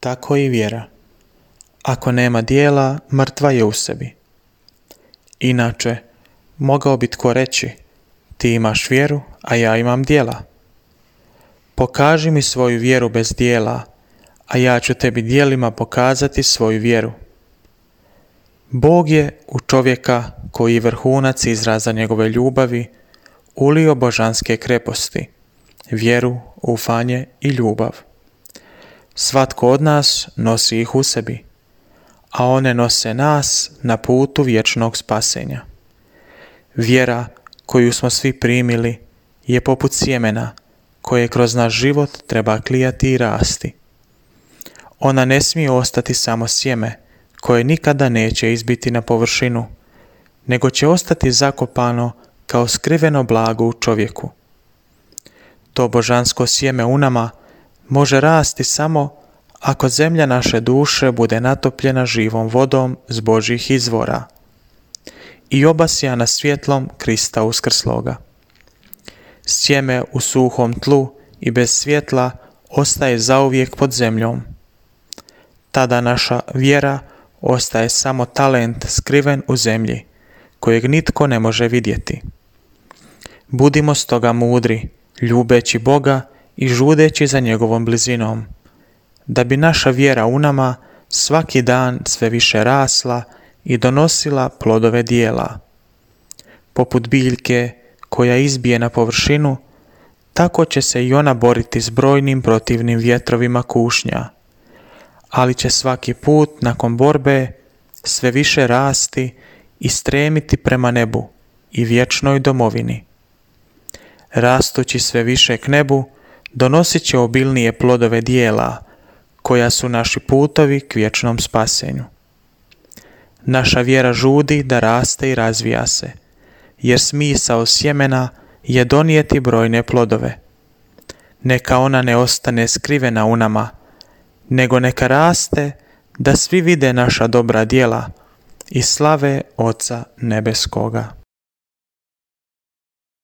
tako i vjera. Ako nema djela, mrtva je u sebi. Inače, mogao bi tko reći, ti imaš vjeru, a ja imam djela. Pokaži mi svoju vjeru bez djela, a ja ću tebi djelima pokazati svoju vjeru. Bog je u čovjeka, koji je vrhunac izraza njegove ljubavi, ulio božanske kreposti, vjeru, ufanje i ljubav. Svatko od nas nosi ih u sebi, a one nose nas na putu vječnog spasenja. Vjera koju smo svi primili je poput sjemena koje kroz naš život treba klijati i rasti. Ona ne smije ostati samo sjeme koje nikada neće izbiti na površinu, nego će ostati zakopano kao skriveno blago u čovjeku. To božansko sjeme u nama može rasti samo ako zemlja naše duše bude natopljena živom vodom s Božjih izvora i obasjana svjetlom Krista uskrsloga. Sjeme u suhom tlu i bez svjetla ostaje zauvijek pod zemljom. Tada naša vjera ostaje samo talent skriven u zemlji, kojeg nitko ne može vidjeti. Budimo stoga mudri, ljubeći Boga i žudeći za njegovom blizinom, da bi naša vjera u nama svaki dan sve više rasla i donosila plodove djela. Poput biljke koja izbije na površinu, tako će se i ona boriti s brojnim protivnim vjetrovima kušnja, ali će svaki put nakon borbe sve više rasti i stremiti prema nebu i vječnoj domovini. Rastući sve više k nebu, donosit će obilnije plodove djela, koja su naši putovi k vječnom spasenju. Naša vjera žudi da raste i razvija se, jer smisao sjemena je donijeti brojne plodove. Neka ona ne ostane skrivena u nama, nego neka raste da svi vide naša dobra djela i slave Oca Nebeskoga.